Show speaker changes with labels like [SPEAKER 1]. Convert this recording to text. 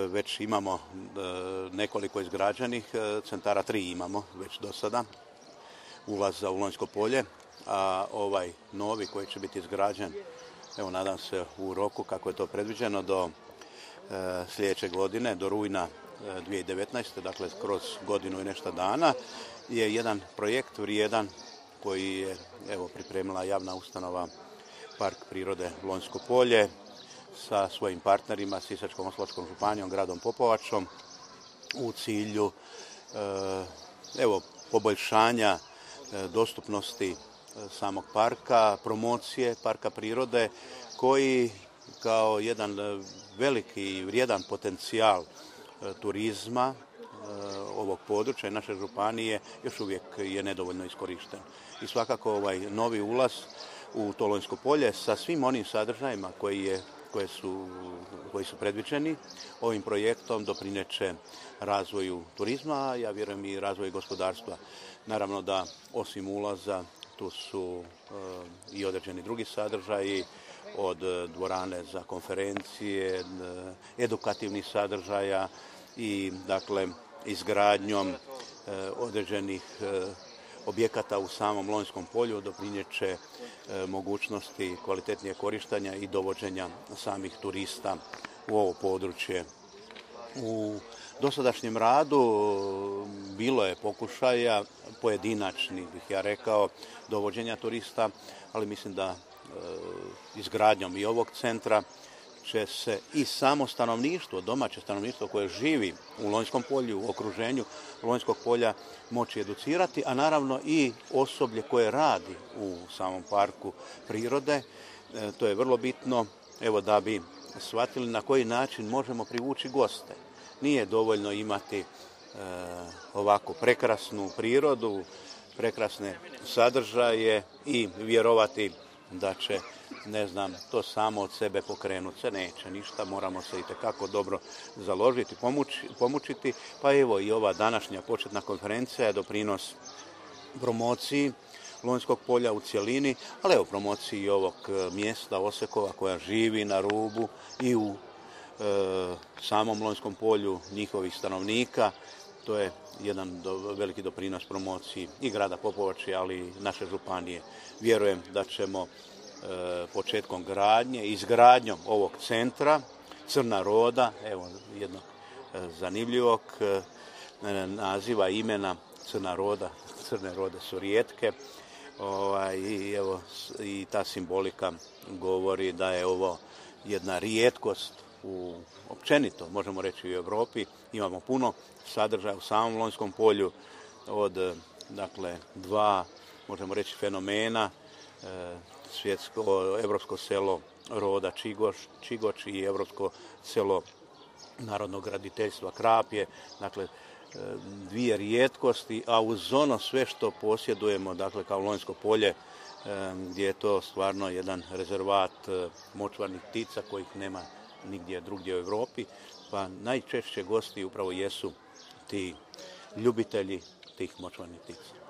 [SPEAKER 1] već imamo nekoliko izgrađenih centara, 3 imamo već do sada, ulaza u Lonjsko polje, a ovaj novi koji će biti izgrađen, evo nadam se u roku kako je to predviđeno, do sljedeće godine, do rujna 2019. Dakle kroz godinu i nešto dana, je jedan projekt vrijedan koji je pripremila javna ustanova Park prirode Lonjsko polje sa svojim partnerima, Sisačko-moslavačkom županijom, gradom Popovačom, u cilju poboljšanja dostupnosti samog parka, promocije parka prirode, koji kao jedan veliki i vrijedan potencijal turizma ovog područja i naše županije još uvijek je nedovoljno iskorišten. I svakako ovaj novi ulaz u to Lonjsko polje sa svim onim sadržajima koji su predviđeni ovim projektom doprineće razvoju turizma, a ja vjerujem i razvoju gospodarstva. Naravno da osim ulaza tu su i određeni drugi sadržaji, od dvorane za konferencije, edukativnih sadržaja i dakle izgradnjom određenih objekata u samom Lonjskom polju doprinijeće mogućnosti kvalitetnije korištenja i dovođenja samih turista u ovo područje. U dosadašnjem radu bilo je pokušaja, pojedinačnih bih ja rekao, dovođenja turista, ali mislim da izgradnjom i ovog centra će se i samo stanovništvo, domaće stanovništvo koje živi u Lonjskom polju, u okruženju Lonjskog polja moći educirati, a naravno i osoblje koje radi u samom parku prirode. To je vrlo bitno, da bi shvatili na koji način možemo privući goste. Nije dovoljno imati ovako prekrasnu prirodu, prekrasne sadržaje i vjerovati da će, to samo od sebe pokrenuti. Se neće ništa, moramo se itekako dobro založiti, pomučiti. Pa evo i ova današnja početna konferencija je doprinos promociji Lonjskog polja u cjelini, ali evo promociji i ovog mjesta Osekova koja živi na rubu i u samom Lonjskom polju njihovih stanovnika. To je jedan veliki doprinos promociji i grada Popovače, ali i naše županije. Vjerujem da ćemo početkom gradnje, izgradnjom ovog centra Crna Roda, evo jednog zanimljivog naziva, imena Crna Roda, crne rode su rijetke, i ta simbolika govori da je ovo jedna rijetkost općenito, možemo reći, u Europi. Imamo puno sadržaja u samom Lonjskom polju od, dva, možemo reći, fenomena, evropsko selo roda Čigoč i evropsko selo narodnog graditeljstva Krapje. Dvije rijetkosti, a uz ono sve što posjedujemo, kao Lonjsko polje, gdje je to stvarno jedan rezervat močvarnih ptica kojih nema nigdje drugdje u Europi, pa najčešće gosti upravo jesu ti ljubitelji tih močvarnih ptica.